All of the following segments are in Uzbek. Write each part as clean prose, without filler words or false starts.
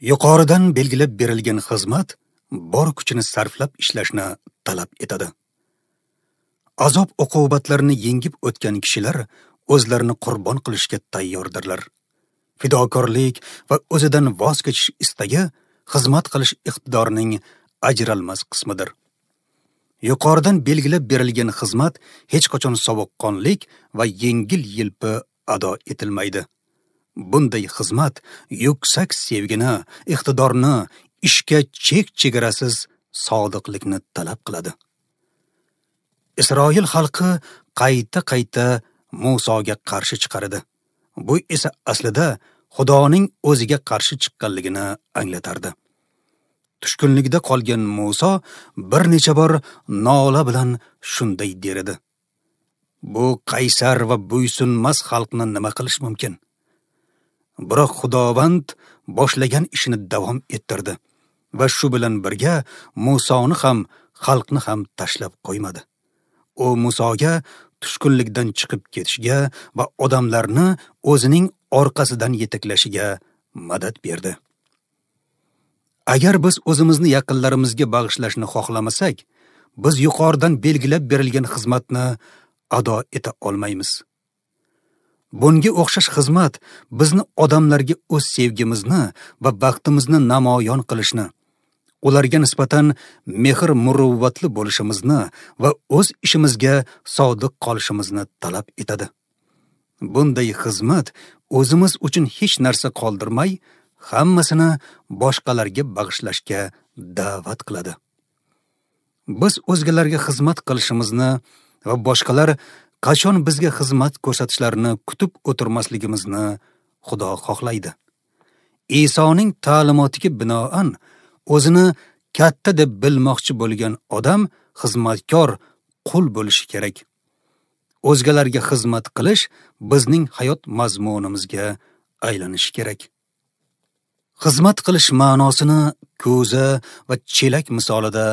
Yuqoridan belgilab berilgan xizmat bor kuchini sarflab ishlashni talab etadi. Azob uqubatlarni yengib o'tgan kishilar o'zlarini qurbon qilishga tayyordirlar. Fidokorlik va o'zidan voz kechish istagi xizmat qilish iqtidorining ajralmas qismidir. Yuqoridan belgilab berilgan xizmat hech qachon sovuqqonlik va yengil-yelpi ado etilmaydi. Bunday xizmat yuksak sevgini, iqtidorni, ishga chek-chegarasiz sodiqlikni talab qiladi. Isroil xalqi qayta-qayta Musoga qarshi chiqardi. Bu esa aslida Xudoning o'ziga qarshi chiqqanligini anglatardi. Tushkunlikda qolgan Muso bir necha bor nola bilan shunday der edi: Bu qaysar va bo'ysunmas xalqni nima qilish mumkin? Biroq Xudovand boshlagan ishini davom ettirdi va shu bilan birga Musoni ham, xalqni ham tashlab qo'ymadi. U Musoga tushkunlikdan chiqib ketishga va odamlarni o'zining orqasidan yetaklashiga madad berdi. Agar biz o'zimizni yaqinlarimizga bag'ishlashni xohlamasak, biz yuqoridan belgilab berilgan xizmatni ado eta olmaymiz. Bunga o'xshash xizmat bizni odamlarga o'z sevgimizni va vaqtimizni namoyon qilishni, ularga nisbatan mehr-muruvvatli bo'lishimizni va o'z ishimizga sodiq qolishimizni talab etadi. Bunday xizmat o'zimiz uchun hech narsa qoldirmay, hammasini boshqalarga bag'ishlashga da'vat qiladi. Biz o'zgalarga xizmat qilishimizni va boshqalar qachon bizga xizmat ko'rsatishlarini kutib o'tirmasligimizni Xudo xohlaydi. Isoning ta'limotiga binoan o'zini katta deb bilmoqchi bo'lgan odam xizmatkor, qul bo'lishi kerak. O'zgalarga xizmat qilish bizning hayot mazmunimizga aylanishi kerak. Xizmat qilish ma'nosini ko'za va chelak misolida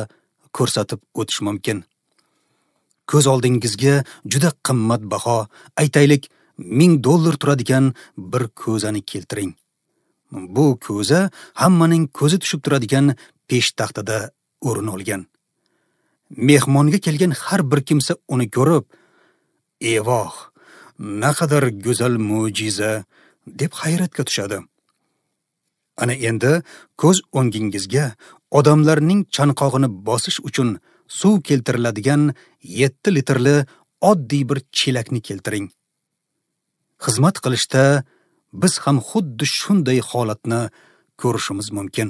ko'rsatib o'tish mumkin. Ko'z oldingizga juda qimmatbaho, aytaylik, $1000 turadigan bir ko'zani keltiring. Bu ko'za hammaning ko'zi tushib turadigan peshtaxtada o'rin olgan. Mehmonga kelgan har bir kimsa uni ko'rib, "Evoh, naqadar go'zal mo'jiza" deb hayratga tushadi. Ana endi ko'z o'ngingizga odamlarning chanqog'ini bosish uchun suv keltiriladigan 7 litrli oddiy bir chelakni keltiring. Xizmat qilishda biz ham xuddi shunday holatni ko'rishimiz mumkin.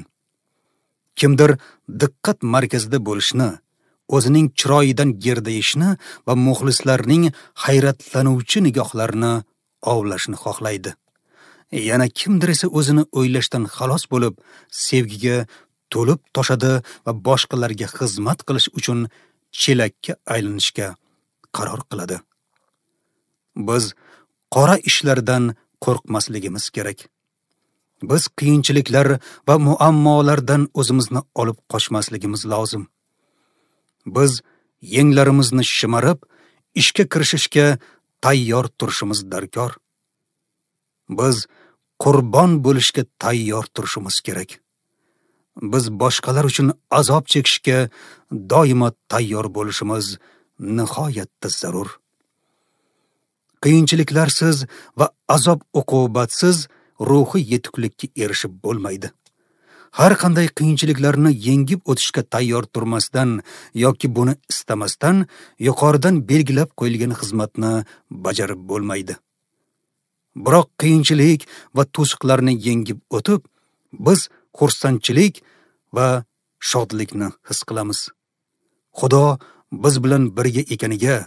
Kimdir diqqat markazida bo'lishni, o'zining chiroyidan gerdayishni va muxlislarning hayratlanuvchi nigohlarini ovlashni xohlaydi. Yana kimdir esa o'zini o'ylashdan xalos bo'lib, sevgiga to'lib toshadi va boshqalarga xizmat qilish uchun chelakka aylanishga qaror qiladi. Biz qora ishlardan qo'rqmasligimiz kerak. Biz qiyinchiliklar va muammolardan o'zimizni olib qochmasligimiz lozim. Biz yenglarimizni shimarib, ishga kirishishga tayyor turishimiz darkor. Biz qurbon bo'lishga tayyor turishimiz kerak. Biz boshqalar uchun azob chekishga doimo tayyor bo'lishimiz nihoyatda zarur. Qiyinchiliklarsiz va azob uqubatsiz ruhiy yetuklikka erishib bo'lmaydi. Har qanday qiyinchiliklarni yengib o'tishga tayyor turmasdan yoki buni istamasdan yuqoridan belgilab qo'yilgan xizmatni bajarib bo'lmaydi. Biroq qiyinchilik va to'siqlarni yengib o'tib, biz xursandchilik va shodlikni his qilamiz. Xudo biz bilan birga ekaniga,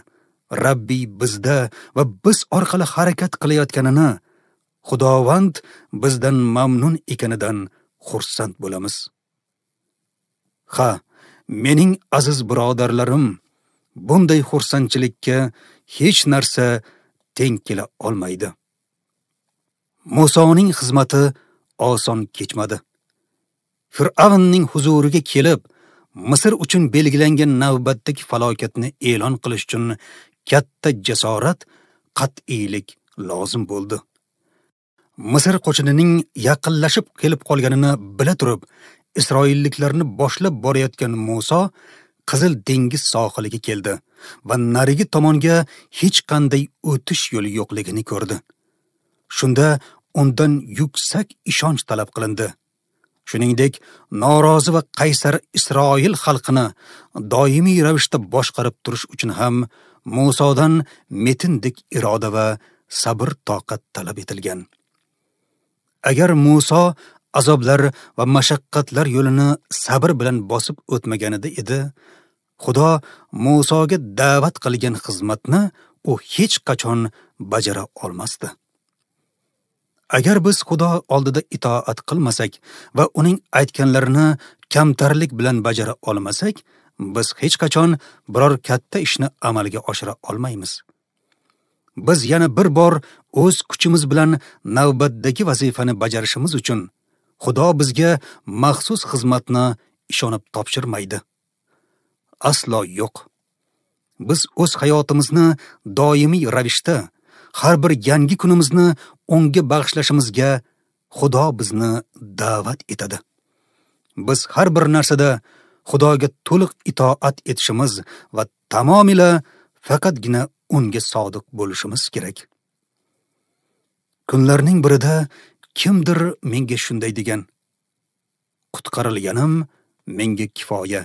Rabbiy bizda va biz orqali harakat qilayotganini, Xudovand bizdan mamnun ekanidan xursand bo'lamiz. Ha, mening aziz birodarlarim, bunday xursandchilikka hech narsa teng kela olmaydi. Musoning xizmati oson kechmadi. Fir'avnning huzuriga kelib, Misr uchun belgilangan navbatdagi falokatni e'lon qilish uchun katta jasorat, qat'iylik lozim bo'ldi. Misr qo'shinining yaqinlashib kelib qolganini bila turib, Isroilliklarni boshlab borayotgan Muso Qizil dengiz sohiliga keldi va narigi tomonga hech qanday o'tish yo'li yo'qligini ko'rdi. Shunda undan yuksak ishonch talab qilindi. Shuningdek, norozi va qaysar Isroil xalqini doimiy ravishda boshqarib turish uchun ham Musodan metindek iroda va sabr toqat talab etilgan. Agar Muso azoblar va mashaqqatlar yo'lini sabr bilan bosib o'tmaganida edi, Xudo Musoga da'vat qilgan xizmatni u hech qachon bajara olmasdi. Agar biz Xudo oldida itoat qilmasak va uning aytganlarini kamtarlik bilan bajara olmasak, biz hech qachon biror katta ishni amalga oshira olmaymiz. Biz yana bir bor o'z kuchimiz bilan navbatdagi vazifani bajarishimiz uchun Xudo bizga maxsus xizmatni ishonib topshirmaydi. Aslo yo'q. Biz o'z hayotimizni doimiy ravishda, har bir yangi kunimizni unga bag'ishlashimizga Xudo bizni da'vat etadi. Biz har bir narsada Xudoga to'liq itoat etishimiz va tamomila faqatgina unga sodiq bo'lishimiz kerak. Kunlarning birida kimdir menga shunday degan: "Qutqarilganim menga kifoya.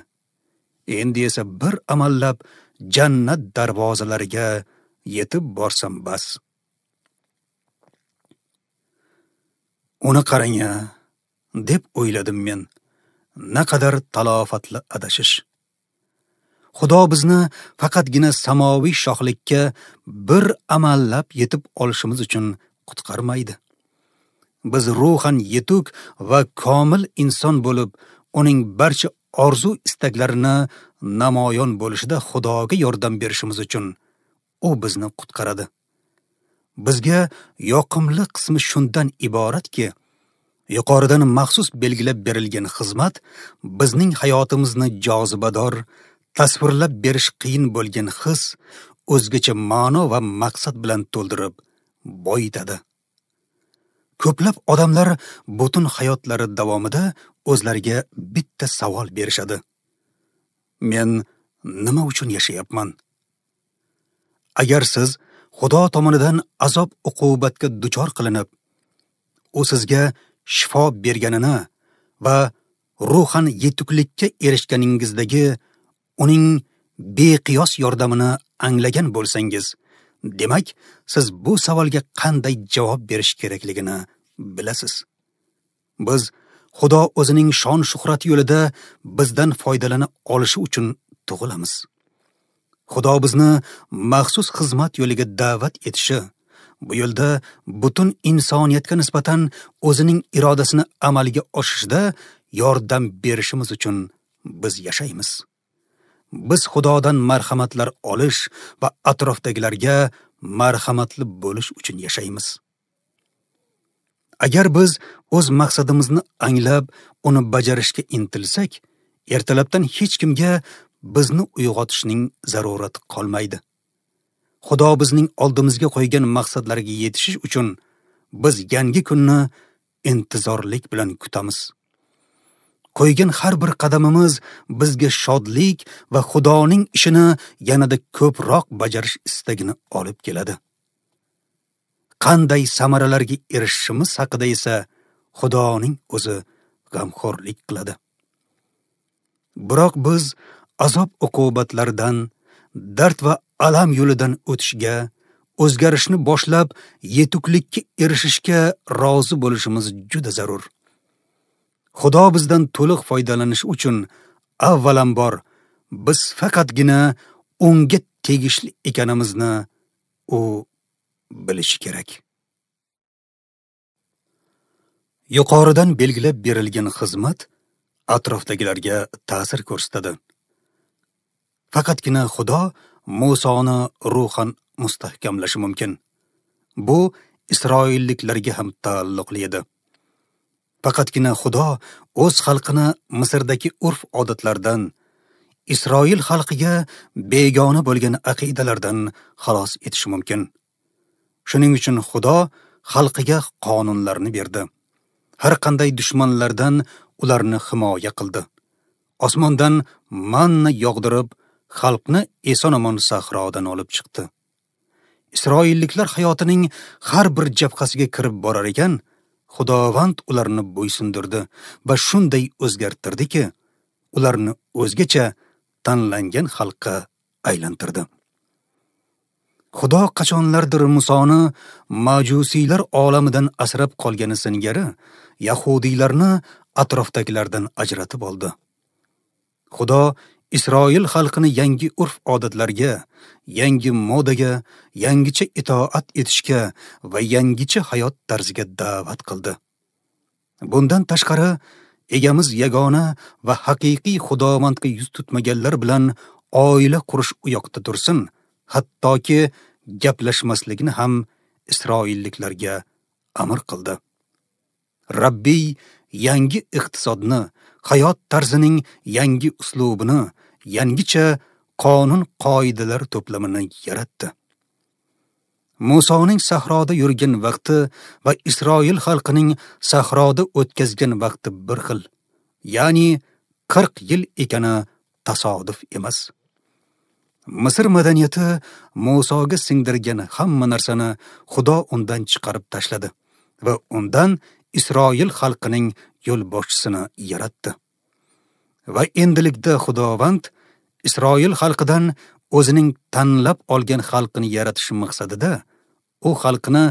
Endi esa bir amallab jannat darvozalariga yetib borsam bas." Uni qarang-a, deb o'yladim men. Naqadar talofatli adashish. Xudo bizni faqatgina samoviy shohlikka bir amallab yetib olishimiz uchun qutqarmaydi. Biz ruhan yetuk va komil inson bo'lib, uning barcha orzu istaklarini namoyon bo'lishida Xudoga yordam berishimiz uchun u bizni qutqaradi. Bizga yoqimli qismi shundan iboratki, yuqoridan maxsus belgilab berilgan xizmat bizning hayotimizni jozibador, tasvirlab berish qiyin bo'lgan his, o'zgacha ma'no va maqsad bilan to'ldirib boyitadi. Ko'plab odamlar butun hayotlari davomida o'zlariga bitta savol berishadi: men nima uchun yashayapman? Agar siz Xudo tomonidan azob uqubatga duchor qilinib, u sizga shifo berganini va ruhan yetuklikka erishganingizdagi uning beqiyos yordamini anglagan bo'lsangiz, demak, siz bu savolga qanday javob berish kerakligini bilasiz. Biz Xudo o'zining shon shuhrati yo'lida bizdan foydalana olishi uchun tug'ilamiz. Xudo bizni maxsus xizmat yo'liga da'vat etishi, bu yo'lda butun insoniyatga nisbatan o'zining irodasini amalga oshirishda yordam berishimiz uchun biz yashaymiz. Biz Xudodan marhamatlar olish va atrofdagilarga marhamatli bo'lish uchun yashaymiz. Agar biz o'z maqsadimizni anglab, uni bajarishga intilsak, ertalabdan hech kimga bizni uyg'otishning zarurati qolmaydi. Xudo bizning oldimizga qo'ygan maqsadlarga yetishish uchun biz yangi kunni intizorlik bilan kutamiz. Qo'ygan har bir qadamimiz bizga shodlik va Xudoning ishini yanada ko'proq bajarish istagini olib keladi. Qanday samaralarga erishishimiz haqida esa Xudoning o'zi g'amxo'rlik qiladi. Biroq biz azob uqubatlardan, dard va alam yo'lidan o'tishga, o'zgarishni boshlab yetuklikka erishishga rozi bo'lishimiz juda zarur. Xudo bizdan to'liq foydalanish uchun avvalambor biz faqatgina unga tegishli ekanimizni u bilishi kerak. Yuqoridan belgilab berilgan xizmat atrofdagilarga ta'sir ko'rsatadi. Faqatgina Xudo Musoni ruhan mustahkamlashi mumkin. Bu Isroilliklarga ham taalluqli edi. Faqatgina Xudo o'z xalqini Misrdagi urf-odatlardan, Isroil xalqiga begona bo'lgan aqidalardan xalos etishi mumkin. Shuning uchun Xudo xalqiga qonunlarni berdi. Har qanday dushmanlardan ularni himoya qildi. Osmondan manna yog'dirib, xalqni eson-omon sahrodan olib chiqdi. Isroilliklar hayotining har bir jabhasiga kirib borar ekan, Xudovand ularni bo'ysundirdi va shunday o'zgartirdiki, ularni o'zgacha tanlangan xalqqa aylantirdi. Xudo qachonlardir Musoni majusiylar olamidan asrab qolgani singari yahudiylarni atrofdagilardan ajratib oldi. Xudo Isroil xalqini yangi urf-odatlarga, yangi modaga, yangicha itoat etishga va yangicha hayot tarziga da'vat qildi. Bundan tashqari, egamiz yagona va haqiqiy Xudovandga yuz tutmaganlar bilan oila qurish u yoqda tursin, hattoki gaplashmaslikni ham isroilliklarga amr qildi. Rabbiy yangi iqtisodni, hayot tarzining yangi uslubini, yangicha qonun-qoidalar to'plamini yaratdi. Musoning sahroda yurgan vaqti va Isroil xalqining sahroda o'tkazgan vaqti bir xil, ya'ni 40 yil ekani tasodif emas. Misr madaniyati Musoga singdirgan hamma narsani Xudo undan chiqarib tashladi va undan Isroil xalqining yo'lboshchisini yaratdi. Va endilikda Xudovand Isroil xalqidan o'zining tanlab olgan xalqini yaratish maqsadida u xalqini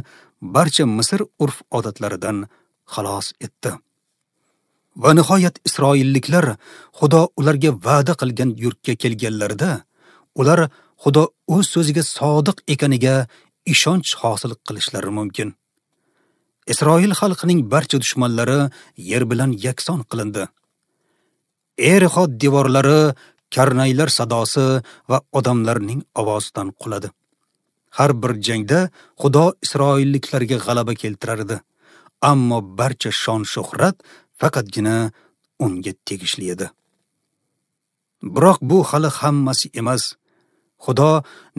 barcha Misr urf-odatlaridan xalos etdi. Va nihoyat isroilliklar Xudo ularga va'da qilgan yurtga kelganlarida, ular Xudo o'z so'ziga sodiq ekaniga ishonch hosil qilishlari mumkin. Isroil xalqining barcha dushmanlari yer bilan yakson qilindi. Erixo devorlari karnaylar sadosi va odamlarning ovozidan quladi. Har bir jangda Xudo isroilliklarga g'alaba keltirardi, ammo barcha shon-shuhrat faqatgina unga tegishli edi. Biroq bu hali hammasi emas. Xudo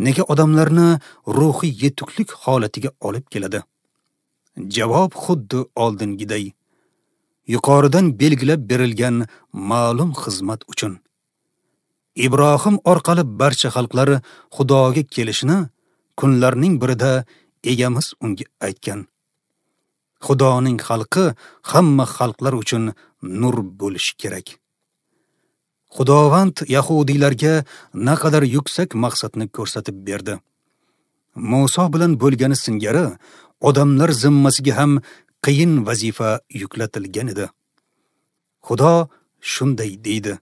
nega odamlarni ruhiy yetuklik holatiga olib keladi? Javob xuddi oldingiday. Yuqoridan belgilab berilgan ma'lum xizmat uchun. Ibrohim orqali barcha xalqlar Xudoga kelishini kunlarning birida egamiz unga aytgan. Xudoning xalqi hamma xalqlar uchun nur bo'lishi kerak. Xudovand yahudiylarga naqadar yuksak maqsadni ko'rsatib berdi. Muso bilan bo'lgani singari odamlar zimmasiga ham qiyin vazifa yuklatilgan edi. Xudo shunday deydi: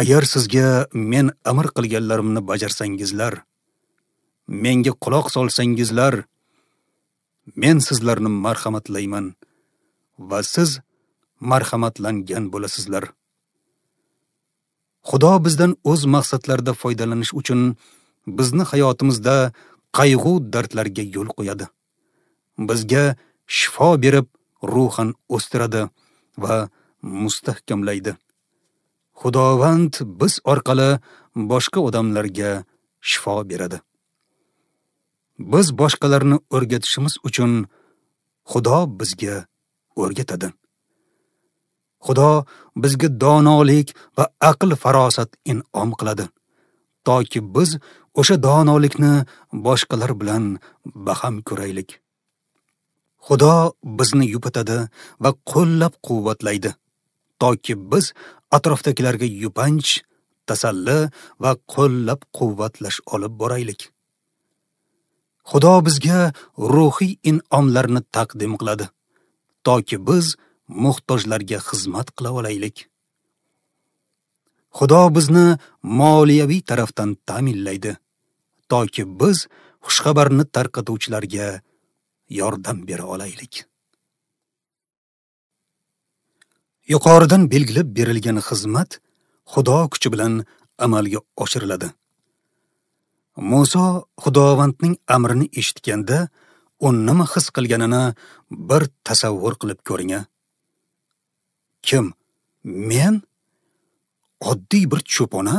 Agar sizga men amr qilganlarimni bajarsangizlar, menga quloq solsangizlar, men sizlarni marhamatlayman va siz marhamatlangan bo'lasizlar. Xudo bizdan o'z maqsadlarida foydalanish uchun bizni hayotimizda qayg'u dardlarga yo'l qo'yadi. Bizga shifo berib, ruhan o'stiradi va mustahkamlaydi. Xudovand biz orqali boshqa odamlarga shifo beradi. Biz boshqalarni o'rgatishimiz uchun Xudo bizga o'rgatadi. Xudo bizga donolik va aql farosat in'om qiladi, toki biz o'sha donolikni boshqalar bilan baham ko'raylik. Xudo bizni yupatadi va qo'llab-quvvatlaydi, toki biz atrofdagilarga yupanch, tasalli va qo'llab-quvvatlash olib boraylik. Xudo bizga ruhiy in'omlarni taqdim qiladi, toki biz muhtojlarga xizmat qila olaylik. Xudo bizni moliyaviy tarafdan ta'minlaydi, toki biz xushxabarni tarqatuvchilarga yordam bera olaylik. Yuqoridan belgilab berilgan xizmat Xudo kuchi bilan amalga oshiriladi. Muso Xudovandning amrini eshitganda, u nima his qilganini bir tasavvur qilib ko'ring. Kim? Men? Oddiy bir cho'pona?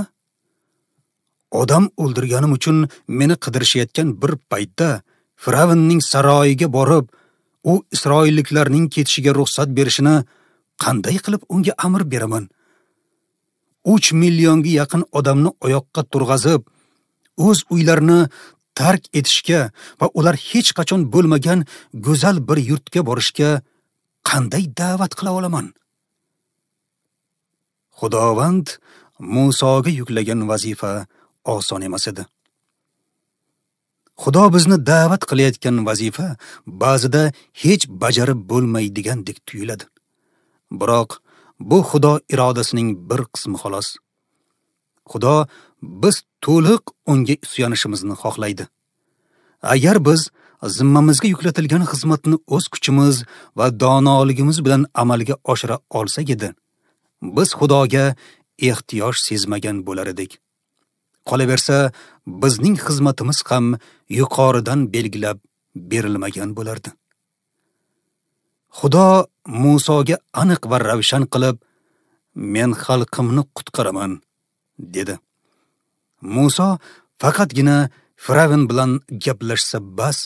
Odam o'ldirganim uchun meni qidirishayotgan bir paytda Fir'avnning saroyiga borib, u isroilliklarning ketishiga ruxsat berishini qanday qilib unga amr beraman? 3 millionga yaqin odamni oyoqqa turg'azib, o'z uylarini tark etishga va ular hech qachon bo'lmagan go'zal bir yurtga borishga qanday da'vat qila olaman? Xudovand Musoga yuklagan vazifa oson emas edi. Xudo bizni da'vat qilayotgan vazifa ba'zida hech bajarib bo'lmaydigandek tuyuladi. Biroq bu Xudo irodasining bir qismi xolos. Xudo biz to'liq unga suyanishimizni xohlaydi. Agar biz zimmamizga yuklatilgan xizmatni o'z kuchimiz va donoligimiz bilan amalga oshira olsak edi, biz Xudoga ehtiyoj sezmagan bo'lar edik. Qolaversa, bizning xizmatimiz ham yuqoridan belgilab berilmagan bo'lardi. Xudo Musoga aniq va ravshan qilib, "Men xalqimni qutqaraman" dedi. Muso faqatgina Firavn bilan gaplashsa bas,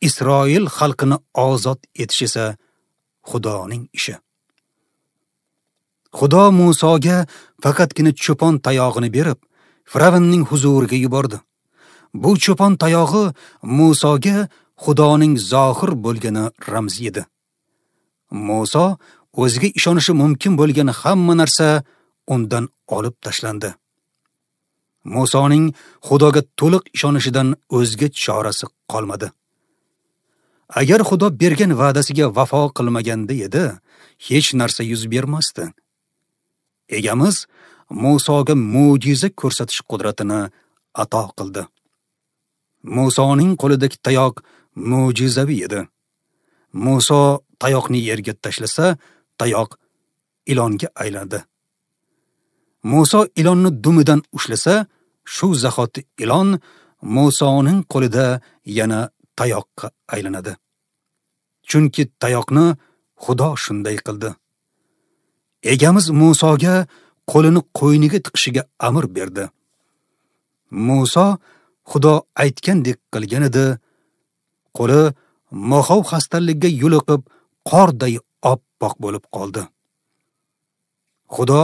Isroil xalqini ozod etish esa Xudoning ishi. Xudo Musoga faqatgina cho'pon tayog'ini berib, Firavnning huzuriga yubordi. Bu cho'pon tayog'i Musoga Xudoning zohir bo'lgani ramzi edi. Muso o'ziga ishonishi mumkin bo'lgan hamma narsa undan olib tashlandi. Musoning Xudoga to'liq ishonishidan o'zga chorasi qolmadi. Agar Xudo bergan va'dasiga vafo qilmaganda edi, hech narsa yuz bermasdi. Egamiz Musoga mo'jiza ko'rsatish qudratini ato qildi. Musoning qo'lidagi tayoq mo'jizaviy edi. Muso tayoqni yerga tashlasa, tayoq ilonga aylandi. Muso ilonni dumidan ushlasa, shu zahoti ilon Musoning qo'lida yana tayoqqa aylanadi. Chunki tayoqni Xudo shunday qildi. Egamiz Musoga qo'lini qo'yniga tiqishiga amr berdi. Muso Xudo aytgandek qilgan edi. Qo'li moxov xastalikka yo'liqib, qorday oppoq bo'lib qoldi. Xudo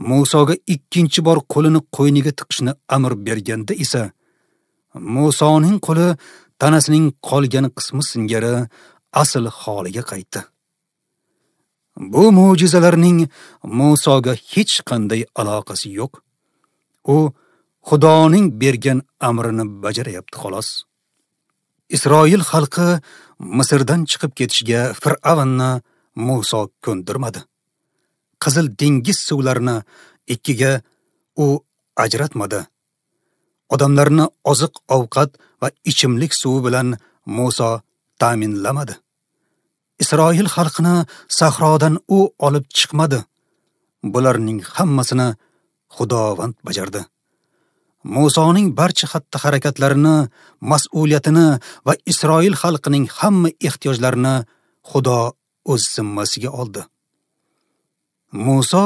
Musoga ikkinchi bor qo'lini qo'yniga tiqishni amr berganda esa Musoning qo'li tanasining qolgan qismi singari asl holiga qaytdi. Bu mo'jizalarning Musoga hech qanday aloqasi yo'q. U Xudoning bergan amrini bajarayapti xolos. Isroil xalqi Misrdan chiqib ketishiga Fir'avnni Muso ko'ndirmadi. Qizil dengiz suvlarini ikkiga u ajratmadi. Odamlarni oziq-ovqat va ichimlik suvi bilan Muso ta'minlamadi. Isroil xalqini sahrodan u olib chiqmadi. Bularning hammasini Xudovand bajardi. Musoning barcha xatti-harakatlarini, mas'uliyatini va Isroil xalqining hamma ehtiyojlarini Xudo o'z zimmasiga oldi. Muso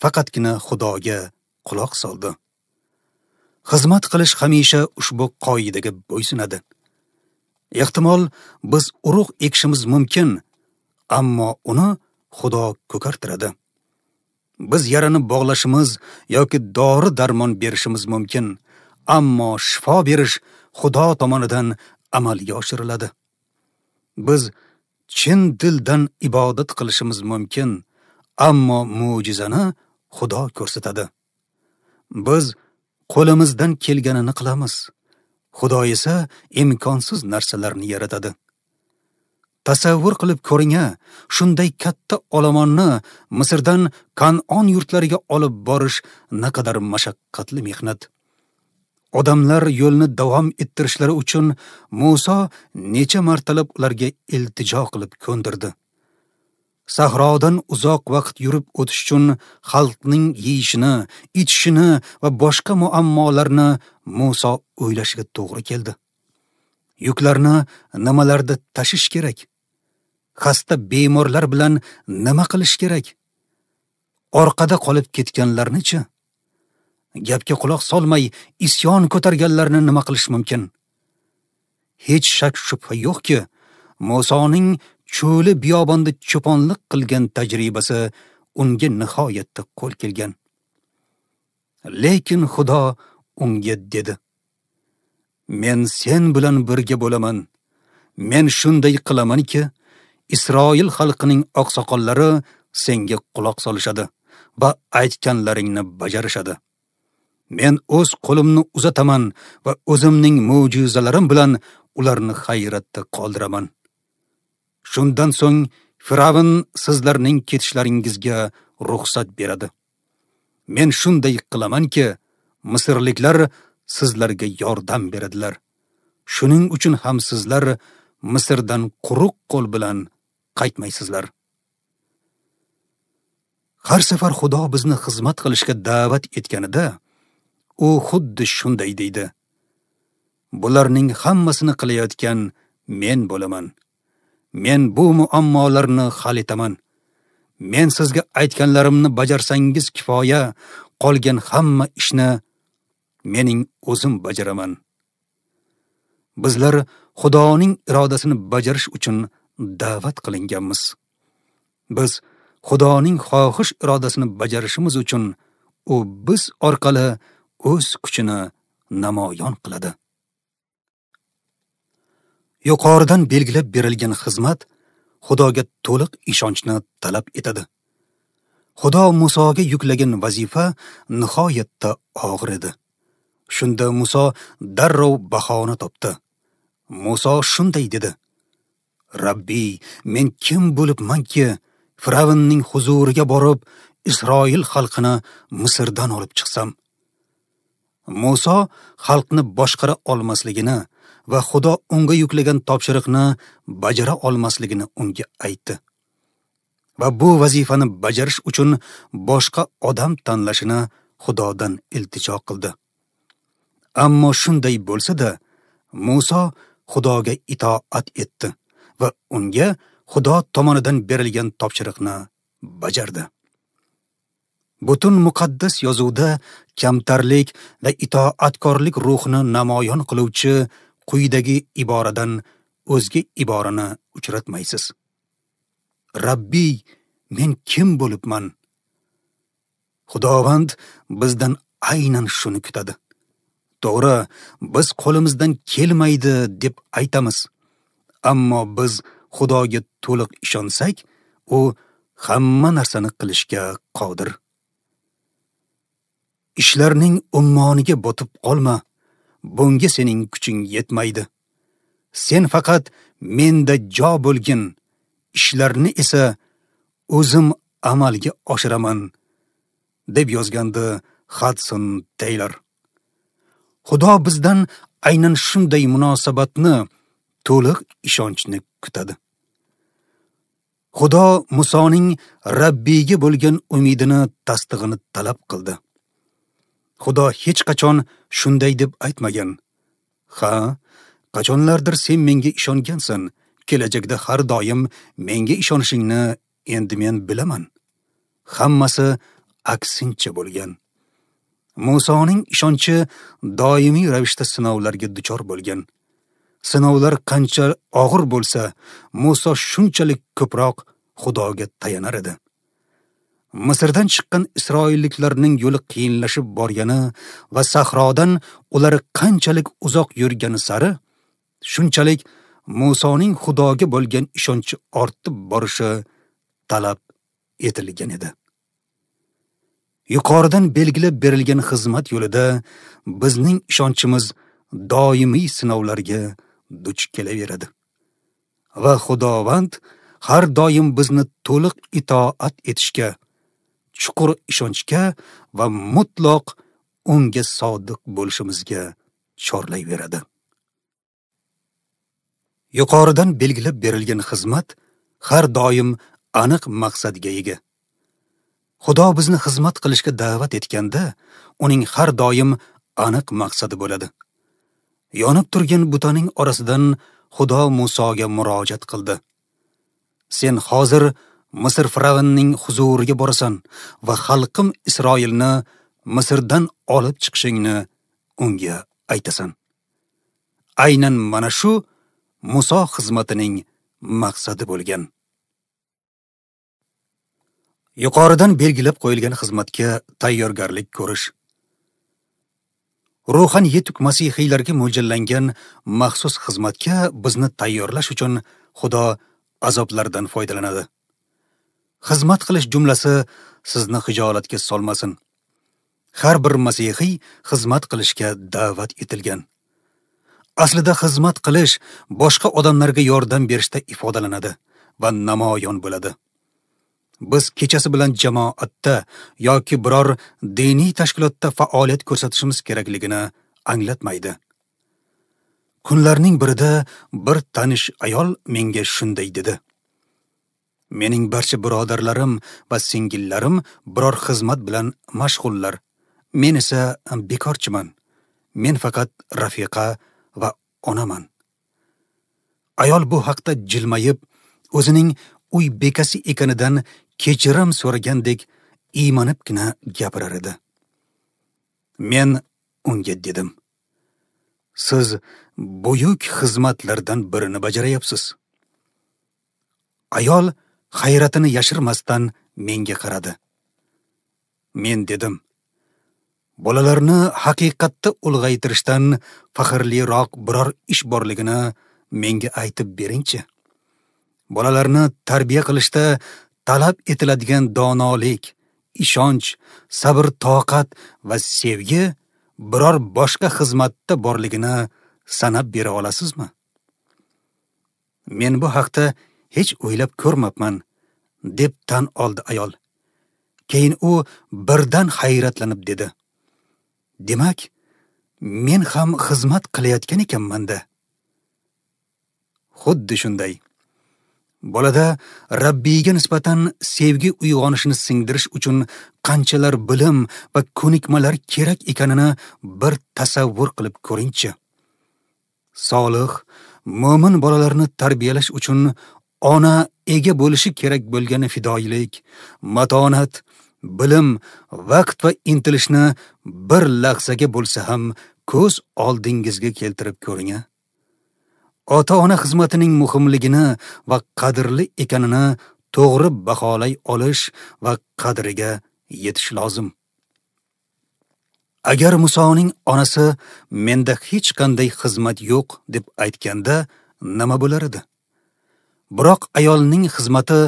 faqatgina Xudoga quloq soldi. Xizmat qilish hamisha ushbu qoidaga bo'ysunadi. Ehtimol biz urug' ekishimiz mumkin, ammo uni Xudo ko'kartiradi. Biz yarani bog'lashimiz yoki dori-darmon berishimiz mumkin, ammo shifo berish Xudo tomonidan amalga oshiriladi. Biz chin dildan ibodat qilishimiz mumkin, ammo mo'jizani Xudo ko'rsatadi. Biz qo'limizdan kelganini qilamiz. Xudo esa imkonsiz narsalarni yaratadi. Tasavvur qilib ko'ring-a, shunday katta olomonni Misrdan Kan'on yurtlariga olib borish naqadar mashaqqatli mehnat. Odamlar yo'lni davom ettirishlari uchun Muso necha martalab ularga iltijo qilib ko'ndirdi. Sahrodan uzoq vaqt yurib o'tish uchun xalqning yeyishini, ichishini va boshqa muammolarni Muso o'ylashiga to'g'ri keldi. Yuklarni nimalarda tashish kerak? Xasta bemorlar bilan nima qilish kerak? Orqada qolib ketganlarni-chi? Gapga quloq solmay isyon ko'targanlarni nima qilish mumkin? Hech shak shubha yo'qki, Musoning cho'li biyobonda cho'ponlik qilgan tajribasi unga nihoyatda qo'l kelgan. Lekin Xudo unga dedi: Men sen bilan birga bo'laman. Men shunday qilamanki, Isroil xalqining oqsoqollari senga quloq solishadi va aytganlaringni bajarishadi. Men o'z qo'limni uzataman va o'zimning mo'jizalarim bilan ularni hayratda qoldiraman. Shundan so'ng Firavn sizlarning ketishlaringizga ruxsat beradi. Men shunday qilamanki, misrliklar sizlarga yordam beradilar. Shuning uchun ham sizlar Misrdan quruq qo'l bilan qaytmaysizlar. Har safar Xudo bizni xizmat qilishga da'vat etganida, u xuddi shunday deydi: Bularning hammasini qilayotgan men bo'laman. Men bu muammolarni hal etaman. Men sizga aytganlarimni bajarsangiz kifoya, qolgan hamma ishni mening o'zim bajaraman. Bizlar Xudoning irodasini bajarish uchun da'vat qilinganmiz. Biz Xudoning xohish irodasini bajarishimiz uchun u biz orqali o'z kuchini namoyon qiladi. Yuqoridan belgilab berilgan xizmat Xudoga to'liq ishonchni talab etadi. Xudo Musoga yuklagan vazifa nihoyatda og'ir edi. Shunda Muso darrov bahona topdi. Muso shunday dedi: Rabbiy, men kim bo'libmanki, Firavnning huzuriga borib, Isroil xalqini Misrdan olib chiqsam? Muso xalqni boshqara olmasligini va Xudo unga yuklagan topshiriqni bajara olmasligini unga aytdi. Va bu vazifani bajarish uchun boshqa odam tanlashini Xudodan iltijo qildi. Ammo shunday bo'lsa-da, Muso Xudoga itoat etdi va unga Xudo tomonidan berilgan topshiriqni bajardi. Butun muqaddas yozuvda kamtarlik va itoatkorlik ruhini namoyon qiluvchi quyidagi iboradan o'zga iborani uchratmaysiz. Rabbiy, men kim bo'libman? Xudovand bizdan aynan shuni kutadi. To'g'ri, biz qo'limizdan kelmaydi deb aytamiz. Ammo biz Xudoga to'liq ishonsak, u hamma narsani qilishga qodir. Ishlarning ummoniga botib qolma, bunga sening kuching yetmaydi. Sen faqat menda jo bo'lgin, ishlarni esa o'zim amalga oshiraman, deb yozgandi Hudson Taylor. Xudo bizdan aynan shunday munosabatni, to'liq ishonchni kutadi. Xudo Musoning Rabbiyga bo'lgan umidini tasdig'ini talab qildi. Xudo hech qachon shunday deb aytmagan: Ha, qachonlardir sen menga ishongansan, kelajakda har doim menga ishonishingni endi men bilaman. Hammasi aksincha bo'lgan. Musoning ishonchi doimiy ravishda sinovlarga duchor bo'lgan. Sinovlar qancha og'ir bo'lsa, Muso shunchalik ko'proq Xudoga tayanar edi. Misrdan chiqqan isroilliklarning yo'li qiyinlashib borgani va sahrodan ular qanchalik uzoq yurgani sari, shunchalik Musoning Xudoga bo'lgan ishonchi ortib borishi talab etilgan edi. Yuqoridan belgilab berilgan xizmat yo'lida bizning ishonchimiz doimiy sinovlarga duch kelaveradi. Va Xudovand har doim bizni to'liq itoat etishga, chuqur ishonchga va mutlaq unga sodiq bo'lishimizga chorlayveradi. Yuqoridan belgilab berilgan xizmat har doim aniq maqsadga ega. Xudo bizni xizmat qilishga da'vat etganda, uning har doim aniq maqsadi bo'ladi. Yonib turgan butaning orasidan Xudo Musoga murojaat qildi. Sen hozir Misr firavnining huzuriga borasan va xalqim Isroilni Misrdan olib chiqishingni unga aytasan. Aynan mana shu Muso xizmatining maqsadi bo'lgan. Yuqoridan belgilab qo'yilgan xizmatga tayyorgarlik ko'rish. Ruhan yetuk masihiylarga mo'ljallangan maxsus xizmatga bizni tayyorlash uchun Xudo azoblardan foydalanadi. Xizmat qilish jumlasi sizni xijolatga solmasin. Har bir masihiy xizmat qilishga da'vat etilgan. Aslida xizmat qilish boshqa odamlarga yordam berishda ifodalanadi va namoyon bo'ladi. Biz kechasi bilan jamoatda yoki biror diniy tashkilotda faoliyat ko'rsatishimiz kerakligini anglatmaydi. Kunlarning birida bir tanish ayol menga shunday dedi: "Mening barcha birodarlarim va singillarim biror xizmat bilan mashg'ullar. Men esa bekorchiman. Men faqat rafiqa va onaman." Ayol bu haqda jilmayib, o'zining uy bekasi ekanidan kechirim so'ragandek iymanibgina gapirar edi. Men unga dedim: "Siz buyuk xizmatlardan birini bajarayapsiz." Ayol hayratini yashirmasdan menga qaradi. Men dedim: "Bolalarni haqiqatda ulg'aytirishdan faxrliroq biror ish borligini menga aytib beringchi. Bolalarni tarbiya qilishda talab etiladigan donolik, ishonch, sabr-toqat va sevgi biror boshqa xizmatda borligini sanab bera olasizmi?" "Men bu haqda hech o'ylab ko'rmabman", deb tan oldi ayol. Keyin u birdan hayratlanib dedi: "Demak, men ham xizmat qilayotgan ekanman-da." Xuddi shunday. Bolada Rabbiyga nisbatan sevgi uyg'onishini singdirish uchun qanchalar bilim va ko'nikmalar kerak ekanini bir tasavvur qilib ko'ringchi. Solih, mo'min bolalarni tarbiyalash uchun ona ega bo'lishi kerak bo'lgan fidoyilik, matonat, bilim, vaqt va intilishni bir lahzaga bo'lsa ham ko'z oldingizga keltirib ko'ring. Ota-ona xizmatining muhimligini va qadrli ekanini to'g'ri baholay olish va qadriga yetish lozim. Agar Musoning onasi menda hech qanday xizmat yo'q deb aytganda nima bo'lar edi? Biroq ayolning xizmati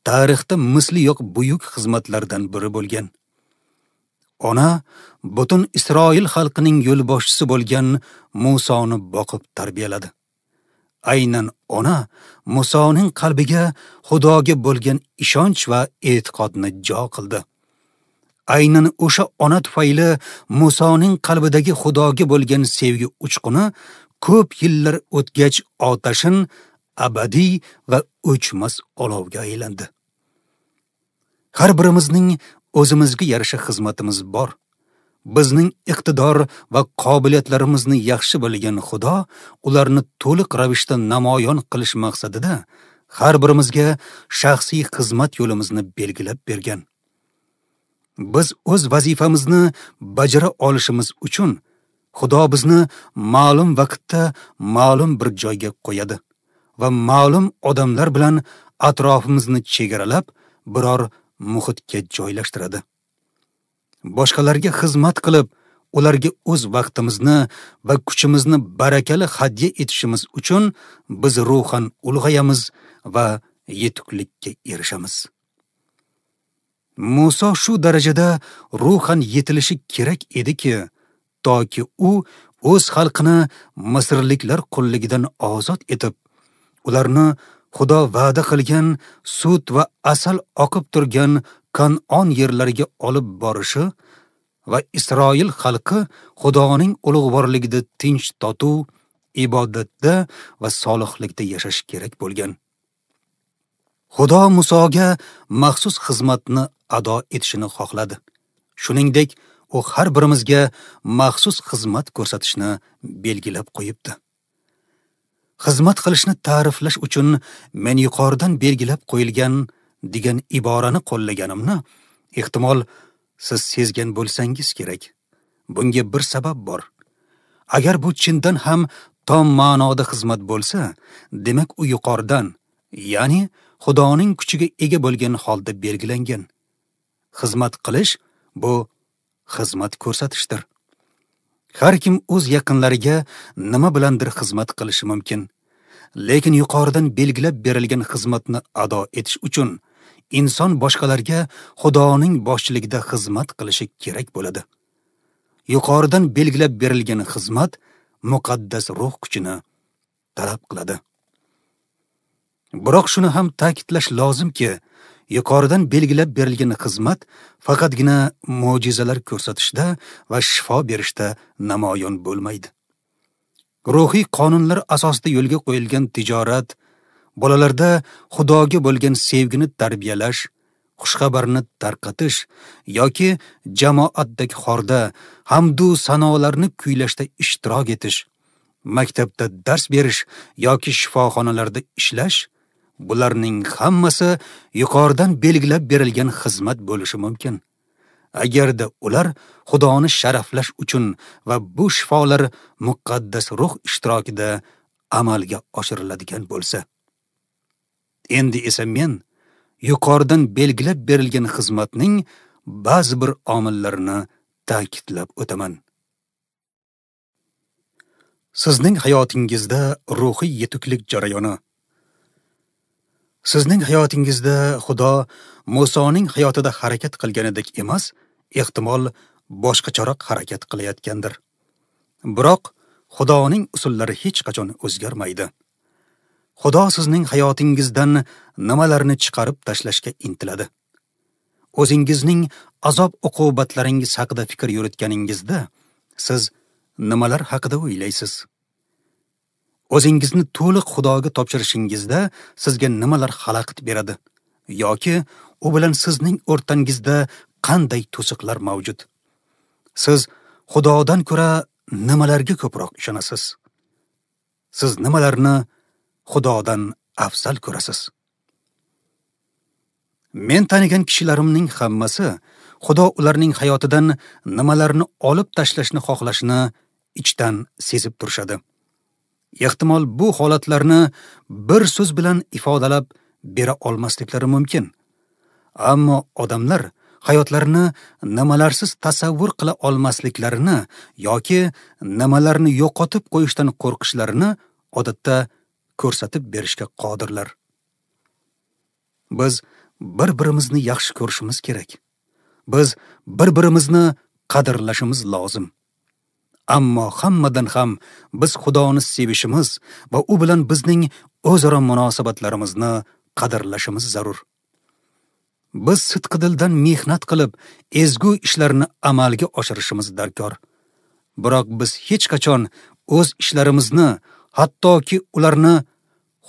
tarixda misli yo'q buyuk xizmatlardan biri bo'lgan. Ona butun Isroil xalqining yo'lboshchisi bo'lgan Musoni boqib tarbiyaladi. Aynan ona Musoning qalbiga Xudoga bo'lgan ishonch va e'tiqodni jo qildi. Aynan o'sha ona tufayli Musoning qalbidagi Xudoga bo'lgan sevgi uchquni ko'p yillar o'tgach otashin abadiy va o'chmas olovga aylandi. Har birimizning o'zimizga yarasha xizmatimiz bor. Bizning iqtidor va qobiliyatlarimizni yaxshi bilgan Xudo ularni to'liq ravishda namoyon qilish maqsadida har birimizga shaxsiy xizmat yo'limizni belgilab bergan. Biz o'z vazifamizni bajara olishimiz uchun Xudo bizni ma'lum vaqtda ma'lum bir joyga qo'yadi va ma'lum odamlar bilan atrofimizni chegaralab biror muhitga joylashtiradi. Boshqalarga xizmat qilib, ularga o'z vaqtimizni va kuchimizni barakali hadya etishimiz uchun biz ruhan ulg'ayamiz va yetuklikka erishamiz. Muso shu darajada ruhan yetilishi kerak ediki, toki u o'z xalqini misrliklar qulligidan ozod etib, ularni Xudo va'da qilgan sut va asal oqib turgan Kan'on yerlariga olib borishi va Isroil xalqi Xudoning ulug'vorligida tinch totuv, ibodatda va solihlikda yashash kerak bo'lgan. Xudo Musoga maxsus xizmatni ado etishini xohladi. Shuningdek, u har birimizga maxsus xizmat ko'rsatishni belgilab qo'yibdi. Xizmat qilishni ta'riflash uchun men yuqoridan belgilab qo'yilgan degan iborani qo'llaganimni ehtimol siz sezgan bo'lsangiz kerak. Bunga bir sabab bor. Agar bu chindan ham tom ma'noda xizmat bo'lsa, demak u yuqoridan, ya'ni Xudoning kuchiga ega bo'lgan holda belgilangan. Xizmat qilish bu xizmat ko'rsatishdir. Har kim o'z yaqinlariga nima bilandir xizmat qilishi mumkin. Lekin yuqoridan belgilab berilgan xizmatni ado etish uchun inson boshqalarga Xudoning boshchiligida xizmat qilishi kerak bo'ladi. Yuqoridan belgilab berilgan xizmat muqaddas ruh kuchini talab qiladi. Biroq shuni ham ta'kidlash lozimki, yuqoridan belgilab berilgan xizmat faqatgina mo'jizalar ko'rsatishda va shifo berishda namoyon bo'lmaydi. Ruhiy qonunlar asosida yo'lga qo'yilgan tijorat, bolalarda Xudoga bo'lgan sevgini tarbiyalash, xushxabarni tarqatish yoki jamoatdagi xorda hamdu sanolarni kuylashda ishtirok etish, maktabda dars berish yoki shifoxonalarda ishlash, bularning hammasi yuqoridan belgilab berilgan xizmat bo'lishi mumkin. Agarda ular Xudoni sharaflash uchun va bu shifolar muqaddas ruh ishtirokida amalga oshiriladigan bo'lsa. Endi esa men yuqoridan belgilab berilgan xizmatning ba'zi bir omillarini ta'kidlab o'taman. Sizning hayotingizda ruhiy yetuklik jarayoni. Sizning hayotingizda Xudo Musoning hayotida harakat qilganidek emas, ehtimol boshqacharoq harakat qilayotgandir. Biroq Xudoning usullari hech qachon o'zgarmaydi. Xudo sizning hayotingizdan nimalarni chiqarib tashlashga intiladi. O'zingizning azob-uqubatlaringiz haqida fikr yuritganingizda siz nimalar haqida o'ylaysiz? O'zingizni to'liq Xudoga topshirishingizda sizga nimalar xalaqit beradi yoki u bilan sizning o'rtangizda qanday to'siqlar mavjud? Siz Xudodan ko'ra nimalarga ko'proq ishonasiz? Siz nimalarni Xudodan afzal ko'rasiz? Men tanigan kishilarimning hammasi Xudo ularning hayotidan nimalarni olib tashlashni xohlashini ichdan sezib turishadi. Ehtimol bu holatlarni bir so'z bilan ifodalab bera olmasliklari mumkin. Ammo odamlar hayotlarini nimalarsiz tasavvur qila olmasliklarini yoki nimalarni yo'qotib qo'yishdan qo'rqishlarini odatda ko'rsatib berishga qodirlar. Biz bir-birimizni yaxshi ko'rishimiz kerak. Biz bir-birimizni qadrlashimiz lozim. Ammo hammadan ham biz Xudoni sevishimiz va u bilan bizning o'zaro munosabatlarimizni qadrlashimiz zarur. Biz sidqidildan mehnat qilib, ezgu ishlarni amalga oshirishimiz darkor. Biroq biz hech qachon o'z ishlarimizni, hattoki ularni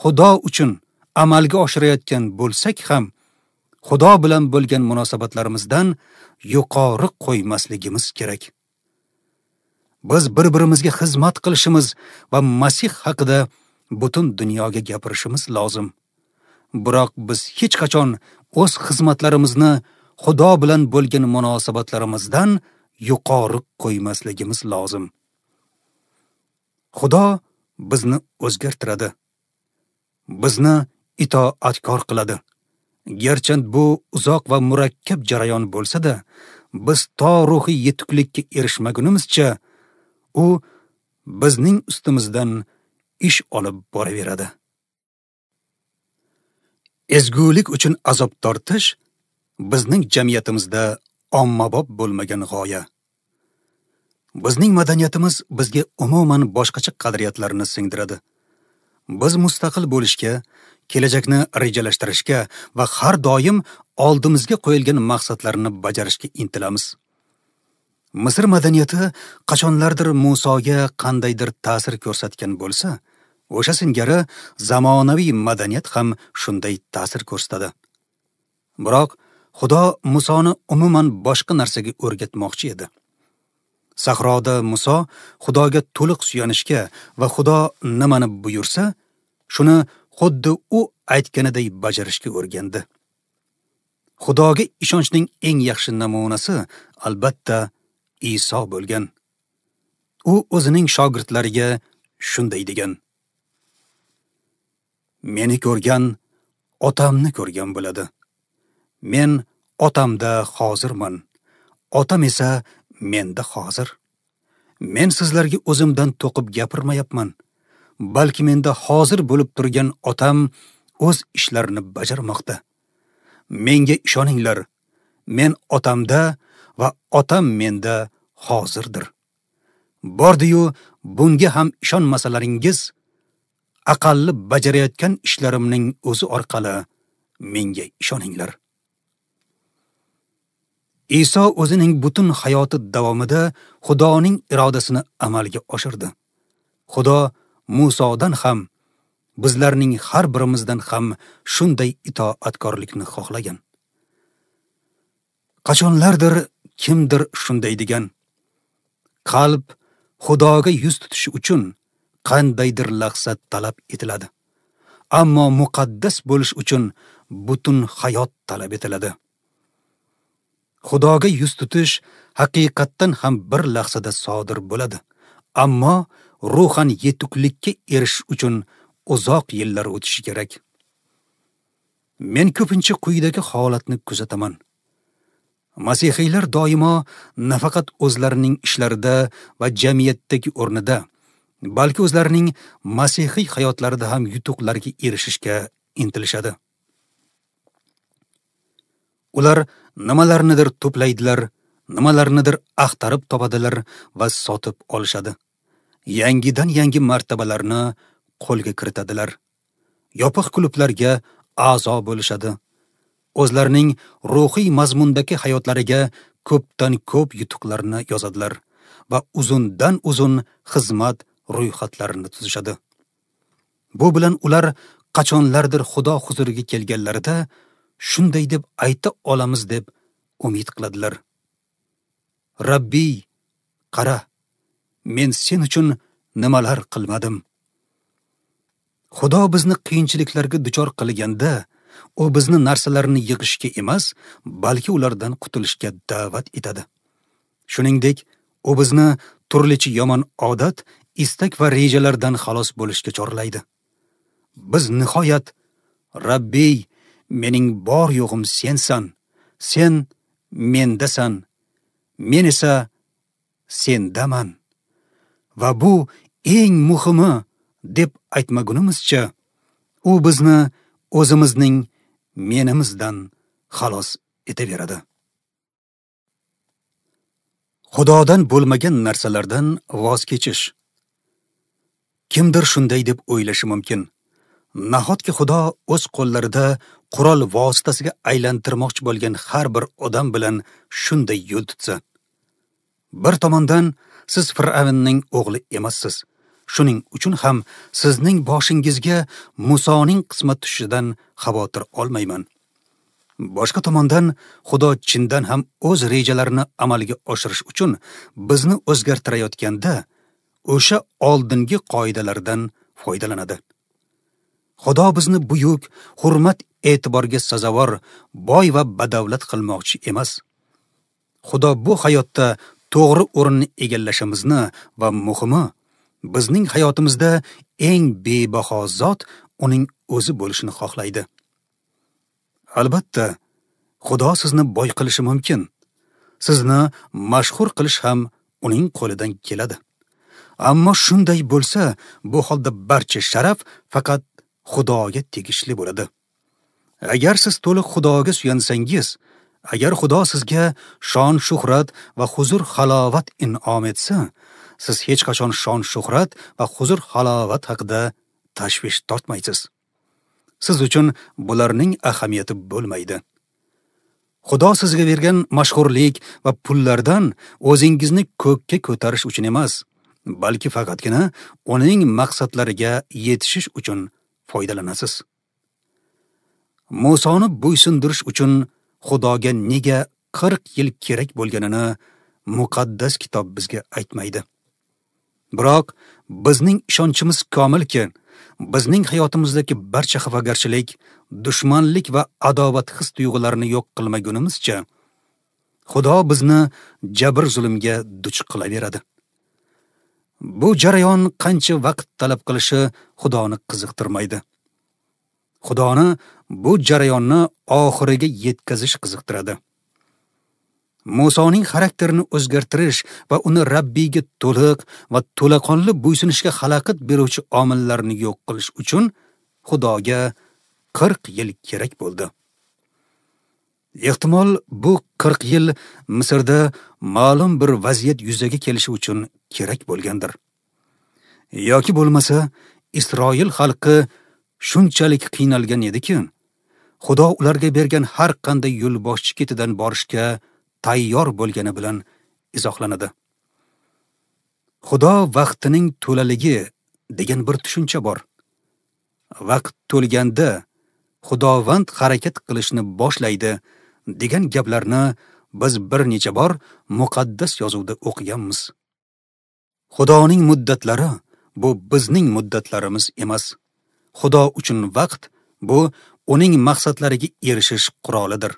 Xudo uchun amalga oshirayotgan bo'lsak ham, Xudo bilan bo'lgan munosabatlarimizdan yuqori qo'ymasligimiz kerak. Biz bir-birimizga xizmat qilishimiz va Masih haqida butun dunyoga gapirishimiz lozim. Biroq biz hech qachon o'z xizmatlarimizni Xudo bilan bo'lgan munosabatlarimizdan yuqori qo'ymasligimiz lozim. Xudo bizni o'zgartiradi. Bizni itoatkor qiladi. Garchi bu uzoq va murakkab jarayon bo'lsa-da, biz to ruhiy yetuklikka erishmagunimizcha u bizning ustimizdan ish olib boraveradi. Ezgulik uchun azob tortish bizning jamiyatimizda ommabop bo'lmagan g'oya. Bizning madaniyatimiz bizga umuman boshqacha qadriyatlarni singdiradi. Biz mustaqil bo'lishga, kelajakni rejalashtirishga va har doim oldimizga qo'yilgan maqsadlarni bajarishga intilamiz. Misr madaniyati qachonlardir Musoga qandaydir ta'sir ko'rsatgan bo'lsa, o'sha singari zamonaviy madaniyat ham shunday ta'sir ko'rsatadi. Biroq Xudo Musoni umuman boshqa narsaga o'rgatmoqchi edi. Sahroda Muso Xudoga to'liq suyanishga va Xudo nimani buyursa, shuni xuddi u aytganiday bajarishga o'rgandi. Xudoga ishonchning eng yaxshi namunasi albatta Iso bo'lgan. U o'zining shogirdlariga shunday degan: Meni ko'rgan Otamni ko'rgan bo'ladi. Men Otamda hozirman, Otam esa menda hozir. Men sizlarga o'zimdan to'qib gapirmayapman, balki menda hozir bo'lib turgan Otam o'z ishlarini bajarmoqda. Menga ishoninglar, men Otamda va Otam menda hozirdir. Bordi-yu bunga ham ishonmasalaringiz, aqalli bajarayotgan ishlarimning o'zi orqali menga ishoninglar. Iso o'zining butun hayoti davomida Xudoning irodasini amalga oshirdi. Xudo Musodan ham, bizlarning har birimizdan ham shunday itoatkorlikni xohlagan. Qachonlardir kimdir shunday degan: Qalb Xudoga yuz tutishi uchun qandaydir lahza talab etiladi. Ammo muqaddas bo'lish uchun butun hayot talab etiladi. Xudoga yuz tutish haqiqatdan ham bir lahzada sodir bo'ladi. Ammo ruhan yetuklikka erishish uchun uzoq yillar o'tishi kerak. Men ko'pincha quyidagi holatni kuzataman. Masihiylar doimo nafaqat o'zlarining ishlarida va jamiyatdagi o'rnida, balki o'zlarining masihiy hayotlarida ham yutuqlarga erishishga intilishadi. Ular nimalarnidir to'playdilar, nimalarnidir axtarib topadilar va sotib olishadi. Yangidan yangi martabalarni qo'lga kiritadilar. Yopiq klublarga a'zo bo'lishadi. O'zlarining ruhiy mazmundagi hayotlariga ko'pdan ko'p yutuqlarni yozadilar va uzundan uzun xizmat ro'yxatlarini tuzishadi. Bu bilan ular qachonlardir Xudo huzuriga kelganlarida shunday deb ayta olamiz deb umid qiladilar: Rabbiy, qara, men sen uchun nimalar qilmadim. Xudo bizni qiyinchiliklarga duchor qilganda, u bizni narsalarni yig'ishga emas, balki ulardan qutulishga da'vat etadi. Shuningdek, u bizni turlicha yomon odat, istak va rejalardan xalos bo'lishga chorlaydi. Biz nihoyat Rabbiy, mening bor yo'g'im sensan, sen mendasan, men esa sendaman. Va bu eng muhimi deb aytmagunimizcha, u bizni o'zimizning menimizdan xalos etaveradi. Xudodan bo'lmagan narsalardan voz kechish. Kimdir shunday deb o'ylashi mumkin: Nahotki Xudo o'z qo'llarida qurol vositasiga aylantirmoqchi bo'lgan har bir odam bilan shunday yo'l tutsa? Bir tomondan, siz Fir'avnning o'g'li emassiz. Shuning uchun ham sizning boshingizga Musoning qismat tushishidan xavotir olmayman. Boshqa tomondan, Xudo chindan ham o'z rejalarini amalga oshirish uchun bizni o'zgartirayotganda o'sha oldingi qoidalardan foydalanadi. Xudo bizni buyuk, hurmat e'tiborga sazovor, boy va badavlat qilmoqchi emas. Xudo bu hayotda to'g'ri o'rinni egallashimizni va muhimi, bizning hayotimizda eng bebaho zot uning o'zi bo'lishini xohlaydi. Albatta, Xudo sizni boy qilishi mumkin. Sizni mashhur qilish ham uning qo'lidan keladi. Ammo shunday bo'lsa, bu holda barcha sharaf faqat Xudoga tegishli bo'ladi. Agar siz to'liq Xudoga suyansangiz, agar Xudo sizga shon-shuhrat va huzur-halovat in'om etsa, siz hech qachon shon-shuhrat va huzur-halovat haqida tashvish tortmaysiz. Siz uchun bularning ahamiyati bo'lmaydi. Xudo sizga bergan mashhurlik va pullardan o'zingizni ko'kka ko'tarish uchun emas, balki faqatgina uning maqsadlariga yetishish uchun foydalanasiz. Musoni bo'ysundirish uchun Xudoga nega 40 yil kerak bo'lganini muqaddas kitob bizga aytmaydi. Biroq bizning ishonchimiz komilki, bizning hayotimizdagi barcha xafagarchilik, dushmanlik va adovat his tuyg'ularini yo'q qilmagunimizcha, Xudo bizni jabr zulmga duch qilaveradi. Bu jarayon qancha vaqt talab qilishi Xudoni qiziqtirmaydi. Xudoni bu jarayonni oxiriga yetkazish qiziqtiradi. Musoning xarakterini o'zgartirish va uni Rabbiyga to'liq va to'laqonli bo'ysunishga xalaqit beruvchi omillarni yo'q qilish uchun Xudoga 40 yil kerak bo'ldi. Ehtimol bu 40 yil Misrda ma'lum bir vaziyat yuzaga kelishi uchun kerak bo'lgandir. Yoki bo'lmasa, Isroil xalqi shunchalik qiynalgan ediki, Xudo ularga bergan har qanday yo'lboshchi ketidan borishga tayyor bo'lgani bilan izohlanadi. Xudo vaqtining to'laligi degan bir tushuncha bor. Vaqt to'lganda Xudovand harakat qilishni boshlaydi degan gaplarni biz bir necha bor muqaddas yozuvda o'qiganmiz. Xudoning muddatlari bu bizning muddatlarimiz emas. Xudo uchun vaqt bu uning maqsadlariga erishish qurolidir.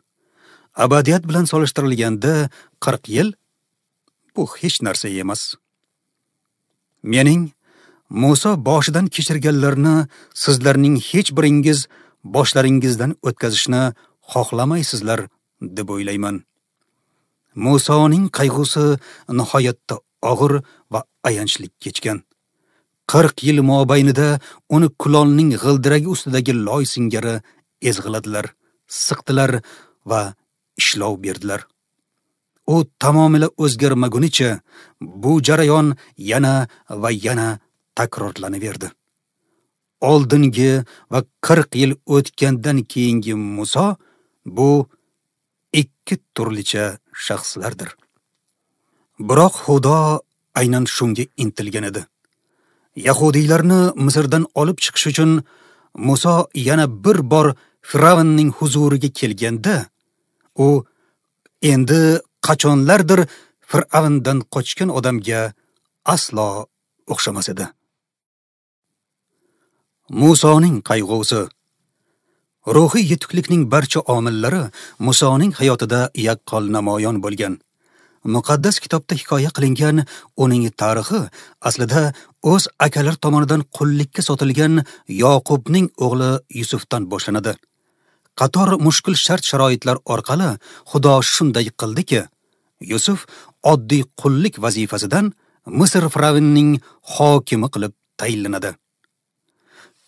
Abadiyat bilan solishtirilganda 40 yil bu hech narsa emas. Mening Muso boshidan kechirganlarni sizlarning hech biringiz boshlaringizdan o'tkazishni xohlamaysizlar deb o'ylayman. Musoning qayg'usi nihoyatda og'ir va ayanchli kechgan. 40 yil mobaynida uni kulolning g'ildiragi ustidagi loy singari ezg'iladilar, siqdilar va ishlov berdilar. U tamomila o'zgarmagunicha bu jarayon yana va yana takrorlanaverdi. Oldingi va 40 yil o'tgandan keyingi Muso bu ikki turlicha shaxslardir. Biroq Xudo aynan shunga intilgan edi. Yahudiylarni Misrdan olib chiqish uchun Muso yana bir bor Firavnning huzuriga kelganda, u endi qachonlardir Firavndan qochgan odamga aslo o'xshamas edi. Musoning qayg'usi. Ruhiy yetuklikning barcha omillari Musoning hayotida yaqqol namoyon bo'lgan. Muqaddas kitobda hikoya qilingan uning tarixi aslida o'z akalari tomonidan qullikka sotilgan Yoqubning o'g'li Yusufdan boshlanadi. Qator mushkul shart-sharoitlar orqali Xudo shunday qildiki, Yusuf oddiy qullik vazifasidan Misr firavnining hokimi qilib tayinlanadi.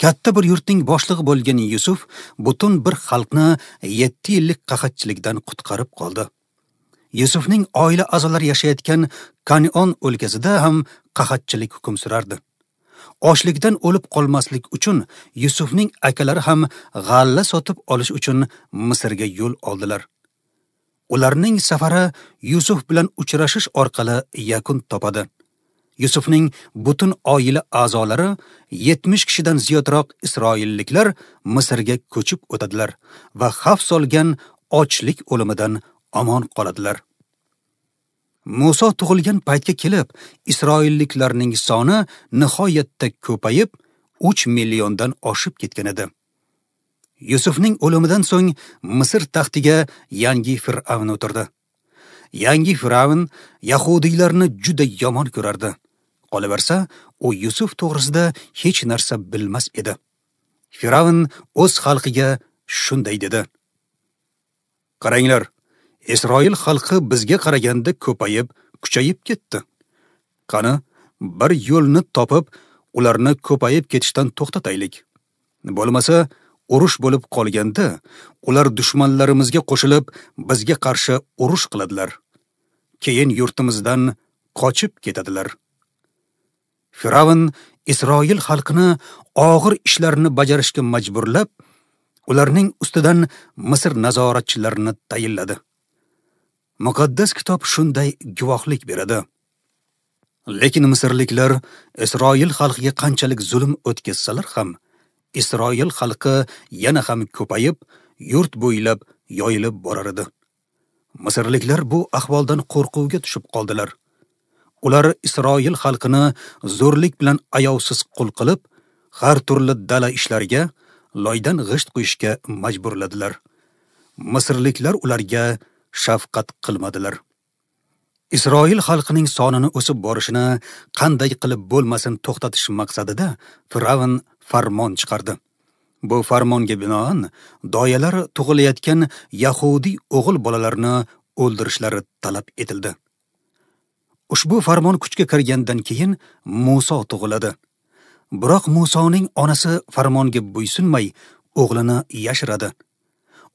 Katta bir yurtning boshlig'i bo'lgan Yusuf butun bir xalqni 7 yillik qahatchilikdan qutqarib qoldi. Yusufning oila a'zolari yashayotgan Kan'on o'lkasida ham qahatchilik hukm surardi. Ochlikdan o'lib qolmaslik uchun Yusufning akalari ham g'alla sotib olish uchun Misrga yo'l oldilar. Ularning safari Yusuf bilan uchrashish orqali yakun topadi. Yusufning butun oila a'zolari 70 kishidan ziyodroq isroilliklar Misrga ko'chib o'tadilar va xavf solgan ochlik o'limidan omon qoladilar. Muso tug'ilgan paytga kelib, isroilliklarning soni nihoyatda ko'payib, 3 milliondan oshib ketgan edi. Yusufning o'limidan so'ng Misr taxtiga yangi fir'avn o'tirdi. Yangi fir'avn yahudiylarni juda yomon ko'rardi. Qolaversa, u Yusuf to'g'risida hech narsa bilmas edi. Fir'avn o'z xalqiga shunday dedi: Qaranglar, Isroil xalqi bizga qaraganda ko'payib, kuchayib ketdi. Qani, bir yo'lni topib, ularni ko'payib ketishdan to'xtataylik. Bo'lmasa, urush bo'lib qolganda, ular dushmanlarimizga qo'shilib, bizga qarshi urush qiladilar. Keyin yurtimizdan qochib ketadilar. Firavn Isroil xalqini og'ir ishlarni bajarishga majburlab, ularning ustidan Misr nazoratchilarini tayinladi. Muqaddas kitob shunday guvohlik beradi. Lekin misrliklar Isroil xalqiga qanchalik zulm o'tkazsalar ham, Isroil xalqi yana ham ko'payib, yurt bo'ylab yoyilib borar edi. Misrliklar bu ahvoldan qo'rquvga tushib qoldilar. Ular Isroil xalqini zo'rlik bilan ayovsiz qul qilib, har turli dala ishlariga, loydan g'isht qo'yishga majburladilar. Misrliklar ularga shafqat qilmadilar. Isroil xalqining sonini o'sib borishini qanday qilib bo'lmasin to'xtatish maqsadida Firavn farmon chiqardi. Bu farmonga binoan doyalar tug'ilayotgan yahudiy o'g'il bolalarni o'ldirishlari talab etildi. Ushbu farmon kuchga kirgandan keyin Muso tug'iladi. Biroq Musoning onasi farmonga bo'ysunmay o'g'lini yashiradi.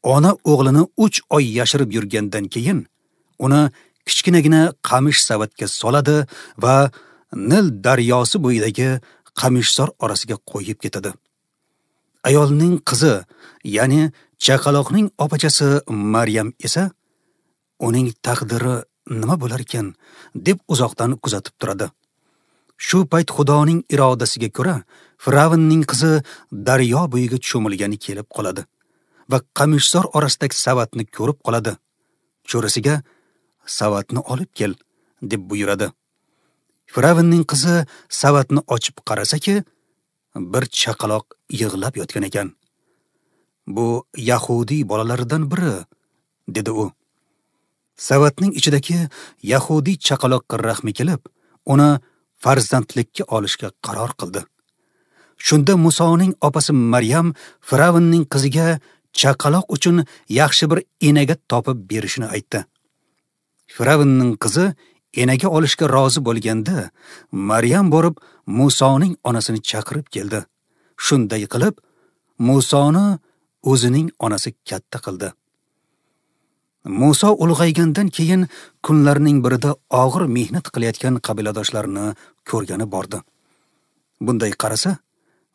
Ona o'g'lini 3 oy yashirib yurgandan keyin uni kichkinagina qamish savatga soladi va Nil daryosi bo'yidagi qamishzor orasiga qo'yib ketadi. Ayolning qizi, ya'ni chaqaloqning opachasi Maryam esa uning taqdiri nima bo'lar ekan deb uzoqdan kuzatib turadi. Shu payt Xudoning irodasiga ko'ra Firavnning qizi daryo bo'yiga cho'milgani kelib qoladi va qamishzor orasidagi savatni ko'rib qoladi. Cho'risiga savatni olib kel deb buyuradi. Firavnning qizi savatni ochib qarasaki, bir chaqaloq yig'lab yotgan ekan. Bu yahudiy bolalaridan biri, dedi u. Savatning ichidagi yahudiy chaqaloqqa rahmi kelib, uni farzandlikka olishga qaror qildi. Shunda Musoning opasi Maryam Firavnning qiziga chaqaloq uchun yaxshi bir enaga topib berishini aytdi. Firavnning qizi enaga olishga rozi bo'lganda, Maryam borib Musoning onasini chaqirib keldi. Shunday qilib, Musoni o'zining onasi katta qildi. Muso ulg'aygandan keyin kunlarning birida og'ir mehnat qilayotgan qabiladoshlarini ko'rgani bordi. Bunday qarasa,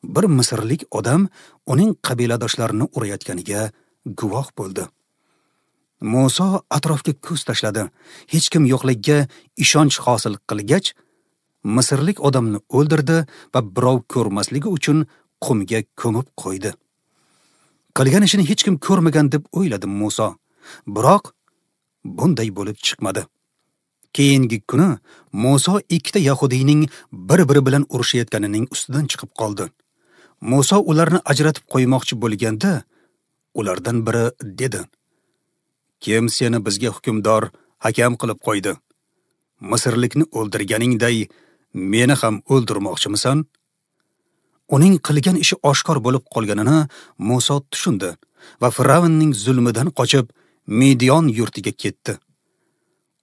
bir misrlik odam uning qabiladoshlarini urayotganiga guvoh bo'ldi. Muso atrofga ko'z tashladi. Hech kim yo'qligiga ishonch hosil qilgach, misrlik odamni o'ldirdi va birov ko'rmasligi uchun qumga ko'mib qo'ydi. Qilgan ishini hech kim ko'rmagan deb o'yladi Muso. Biroq bunday bo'lib chiqmadi. Keyingi kuni Muso ikkita yahudiyning bir-biri bilan urushayotganining ustidan chiqib qoldi. Muso ularni ajratib qo'ymoqchi bo'lganda, ulardan biri dedi: "Kim seni bizga hukmdor, hakam qilib qo'ydi? Misrlikni o'ldirganingday meni ham o'ldirmoqchimisan?" Uning qilgan ishi oshkor bo'lib qolganini Muso tushundi va Firavnning zulmidan qochib Midiyon yurtiga ketdi.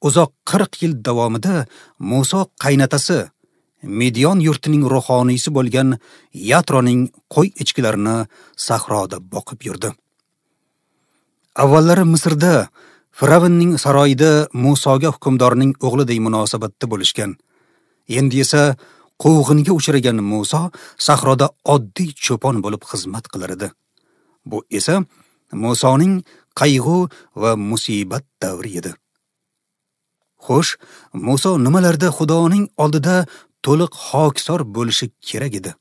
Uzoq 40 yil davomida Muso qaynatasi Midiyon yurtining ruhoniysi bo'lgan Yatroning qo'y echkilarini sahroda boqib yurdi. Avvallari Misrda Firavnning saroyida Musoga hukmdorning o'g'liday munosabatda bo'lishgan. Endi esa quvg'inga uchragan Muso sahroda oddiy cho'pon bo'lib xizmat qilar edi. Bu esa Musoning qayg'u va musibat davri edi. Xo'sh, Muso nimalarda Xudoning oldida to'liq hokisor bo'lishi kerak edi?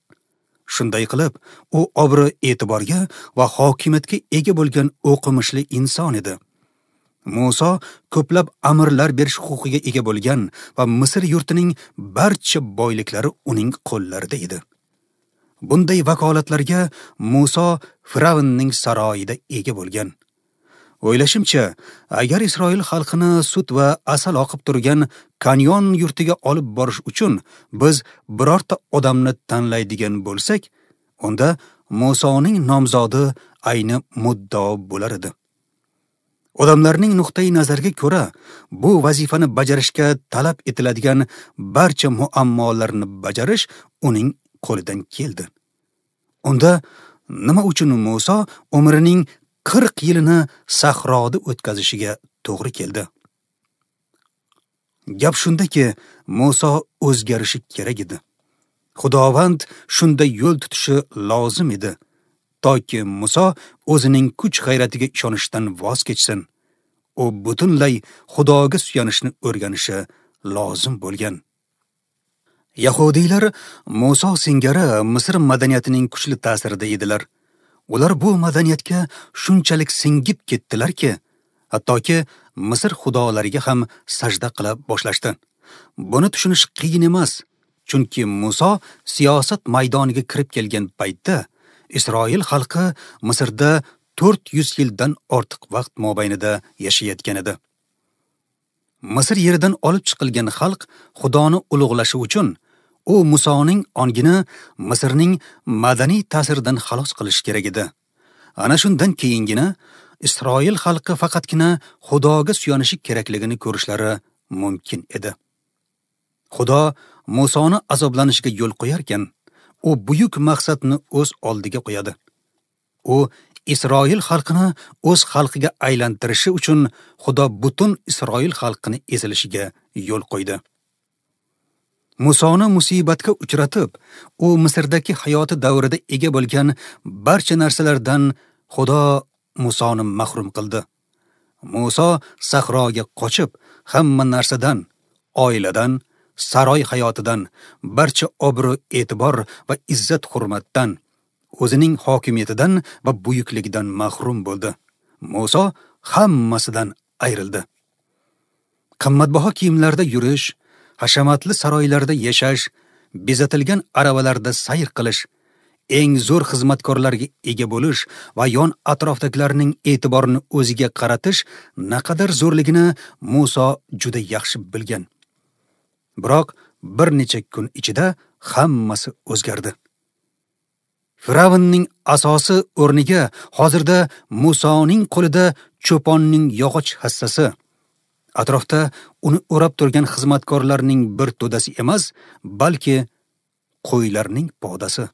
Shunday qilib, u obro' e'tiborga va hokimiyatga ega bo'lgan o'qimishli inson edi. Muso ko'plab amirlar berish huquqiga ega bo'lgan va Misr yurtining barcha boyliklari uning qo'llarida edi. Bunday vakolatlarga Muso Firavnning saroyida ega bo'lgan. O'ylashimcha, agar Isroil xalqini sut va asal oqib turgan Kanyon yurtiga olib borish uchun biz birorta odamni tanlaydigan bo'lsak, unda Musoning nomzodi ayni muddao bo'lar edi. Odamlarning nuqtai nazariga ko'ra, bu vazifani bajarishga talab etiladigan barcha muammolarni bajarish uning qo'lidan keldi. Unda nima uchun Muso umrining 40 yilini sahroda o'tkazishiga to'g'ri keldi? Gap shundaki, Muso o'zgarishi kerak edi. Xudovand shunda yo'l tutishi lozim edi, toki Muso o'zining kuch-g'ayratiga ishonishdan voz kechsin. U butunlay Xudoga suyanishni o'rganishi lozim bo'lgan. Yahudiylar Muso singari Misr madaniyatining kuchli ta'sirida edilar. Ular bu madaniyatga shunchalik singib ketdilarki, hattoki Misr xudolariga ham sajda qila boshlashdi. Buni tushunish qiyin emas, chunki Muso siyosat maydoniga kirib kelgan paytda Isroil xalqi Misrda 400 yildan ortiq vaqt mobaynida yashayotgan edi. Misr yeridan olib chiqilgan xalq Xudoni ulug'lashi uchun u Musoning ongini Misrning madaniy ta'siridan xalos qilish kerak edi. Ana shundan keyingina Isroil xalqi faqatgina Xudoga suyanishi kerakligini ko'rishlari mumkin edi. Xudo Musoni azoblanishiga yo'l qo'yarkan, u buyuk maqsadni o'z oldiga qo'yadi. U Isroil xalqini o'z xalqiga aylantirishi uchun Xudo butun Isroil xalqini ezilishiga yo'l qo'ydi. Musoni musibatga uchratib, u Misrdagi hayoti davrida ega bo'lgan barcha narsalardan Xudo Musoni mahrum qildi. Muso sahroga qochib, hamma narsadan, oiladan, saroy hayotidan, barcha obro', e'tibor va izzat-hurmatdan, o'zining hokimiyatidan va buyukligidan mahrum bo'ldi. Muso hammasidan ayrildi. Qimmatbaho kiyimlarda yurish, hashamatli saroylarda yashash, bezatilgan aravalarda sayr qilish, eng zo'r xizmatkorlarga ega bo'lish va yon atrofdagilarning e'tiborini o'ziga qaratish naqadar zo'rligini Muso juda yaxshi bilgan. Biroq bir necha kun ichida hammasi o'zgardi. Firavnning asosi o'rniga hozirda Musoning qo'lida cho'ponning yog'och hassasi, atrofda uni o'rab turgan xizmatkorlarning bir to'dasi emas, balki qo'ylarning podasi.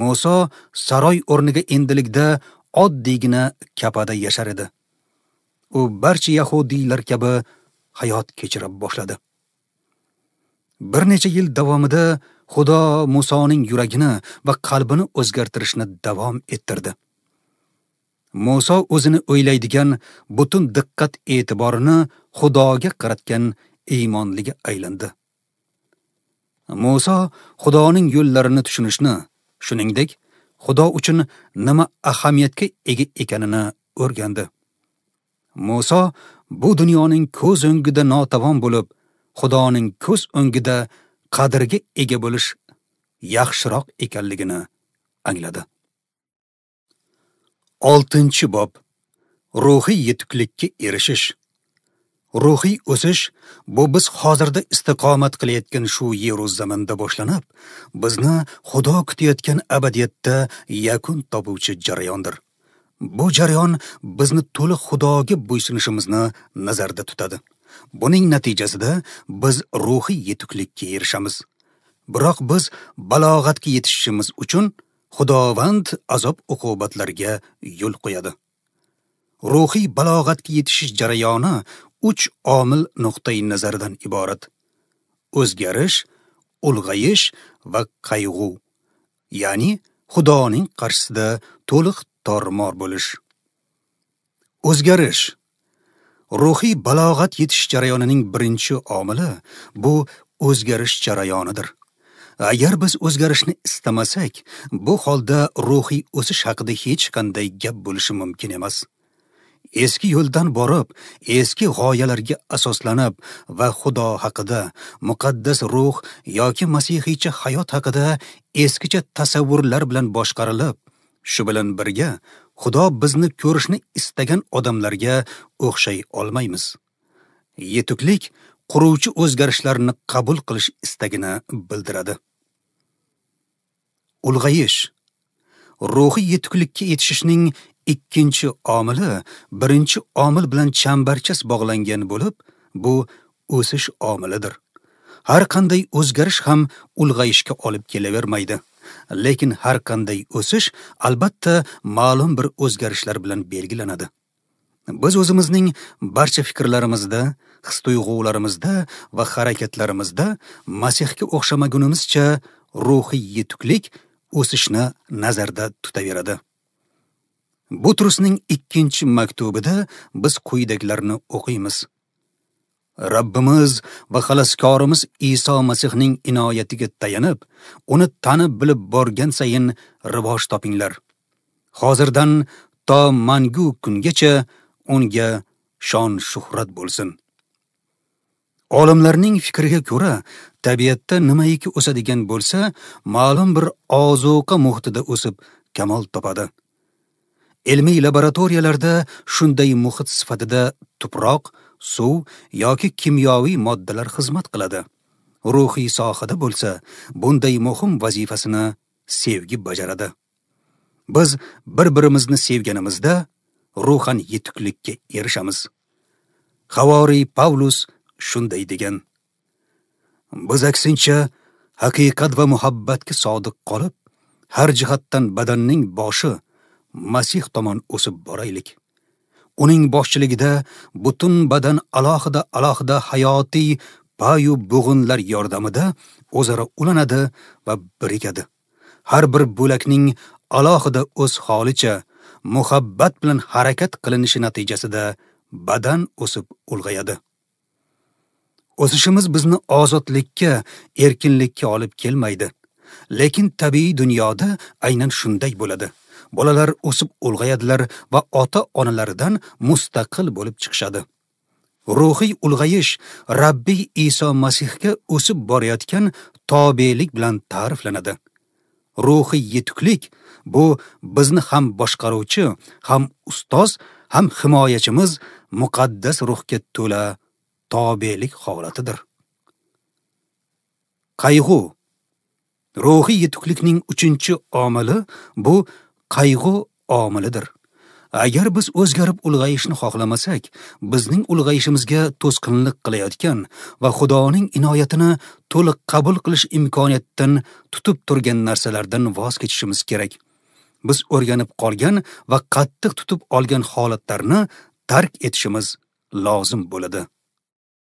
Muso saroy o'rniga endilikda oddiygina kapada yashar edi. U barcha yahudiylar kabi hayot kechira boshladi. Bir necha yil davomida Xudo Musoning yuragini va qalbini o'zgartirishni davom ettirdi. Muso o'zini o'ylaydigan butun diqqat e'tiborini Xudoga qaratgan iymonliga aylandi. Muso Xudoning yo'llarini tushunishni, shuningdek, Xudo uchun nima ahamiyatga ega ekanini o'rgandi. Muso bu dunyoning ko'z o'ngida notavon bo'lib, Xudoning ko'z o'ngida qadrga ega bo'lish yaxshiroq ekanligini angladi. 6-bob. Ruhiy yetuklikka erishish. Ruhiy o'sish bu biz hozirda istiqomat qilayotgan shu yeru zaminda boshlanib, bizni Xudo kutayotgan abadiyatda yakun topuvchi jarayondir. Bu jarayon bizni to'liq Xudoga bo'ysunishimizni nazarda tutadi. Buning natijasida biz ruhiy yetuklikka erishamiz. Biroq biz balog'atga yetishishimiz uchun Xudovand azob uqubatlarga yo'l qo'yadi. Ruhiy balog'atga yetishish jarayoni 3 omil nuqtai nazaridan iborat: o'zgarish, ulg'ayish va qayg'u, ya'ni Xudoning qarshisida to'liq tormor bo'lish. O'zgarish. Ruhiy balog'at yetish jarayonining birinchi omili bu o'zgarish jarayonidir. Agar biz o'zgarishni istamasak, bu holda ruhiy o'sish haqida hech qanday gap bo'lishi mumkin emas. Eski yo'ldan borib, eski g'oyalarga asoslanib va Xudo haqida, muqaddas ruh yoki masihiycha hayot haqida eskicha tasavvurlar bilan boshqarilib, shu bilan birga Xudo bizni ko'rishni istagan odamlarga o'xshay olmaymiz. Yetuklik quruvchi o'zgarishlarni qabul qilish istagini bildiradi. Ulg'ayish. Ruhiy yetuklikka yetishishning ikkinchi omili birinchi omil bilan chambarchas bog'langan bo'lib, bu o'sish omilidir. Har qanday o'zgarish ham ulg'ayishga olib kelavermaydi. Lekin har qanday o'sish albatta ma'lum bir o'zgarishlar bilan belgilanadi. Biz o'zimizning barcha fikrlarimizda, his-tuyg'ularimizda va harakatlarimizda Masihga o'xshamagunimizcha ruhiy yetuklik o'sishni nazarda tutaveradi. Butrusning ikkinchi maktubida biz quyidagilarni o'qiymiz. Rabbimiz va xaloskorimiz Iso Masihning inoyatiga tayanib, uni tanib bilib borgan sayin rivoj topinglar. Hozirdan to mangu kungacha unga shon shuhrat bo'lsin. Olimlarning fikriga ko'ra, tabiatda nimaiki o'sadigan bo'lsa, ma'lum bir ozuqa muhitida o'sib kamol topadi. Ilmiy laboratoriyalarda shunday muhit sifatida tuproq, suv yoki kimyoviy moddalar xizmat qiladi. Ruhiy sohada bo'lsa, bunday muhim vazifasini sevgi bajaradi. Biz bir-birimizni sevganimizda ruhan yetuklikka erishamiz. Havoriy Pavlus shunday degan: Biz aksincha haqiqat va muhabbatga sodiq qolib, har jihatdan badanning boshi Masih tomon o'sib boraylik. Uning boshchiligida butun badan alohida hayotiy payu bo'g'inlar yordamida o'zaro ulanadi va birikadi. Har bir bo'lakning alohida o'z holicha muhabbat bilan harakat qilinishi natijasida badan o'sib ulg'ayadi. O'sishimiz bizni ozodlikka, erkinlikka olib kelmaydi. Lekin tabiiy dunyoda aynan shunday bo'ladi. Bolalar o'sib ulg'ayadilar va ota-onalaridan mustaqil bo'lib chiqishadi. Ruhiy ulg'ayish Rabbiy Iso Masihga o'sib borayotgan tobelik bilan ta'riflanadi. Ruhiy yetuklik bu bizni ham boshqaruvchi, ham ustoz, ham himoyachimiz muqaddas ruhga to'la tobelik holatidir. Qayg'u. Ruhiy yetuklikning 3-omili bu qayg'u omilidir. Agar biz o'zgarib ulg'ayishni xohlamasak, bizning ulg'ayishimizga to'sqinlik qilayotgan va Xudoning inoyatini to'liq qabul qilish imkoniyatidan tutib turgan narsalardan voz kechishimiz kerak. Biz o'rganib qolgan va qattiq tutib olgan holatlarni tark etishimiz lozim bo'ladi.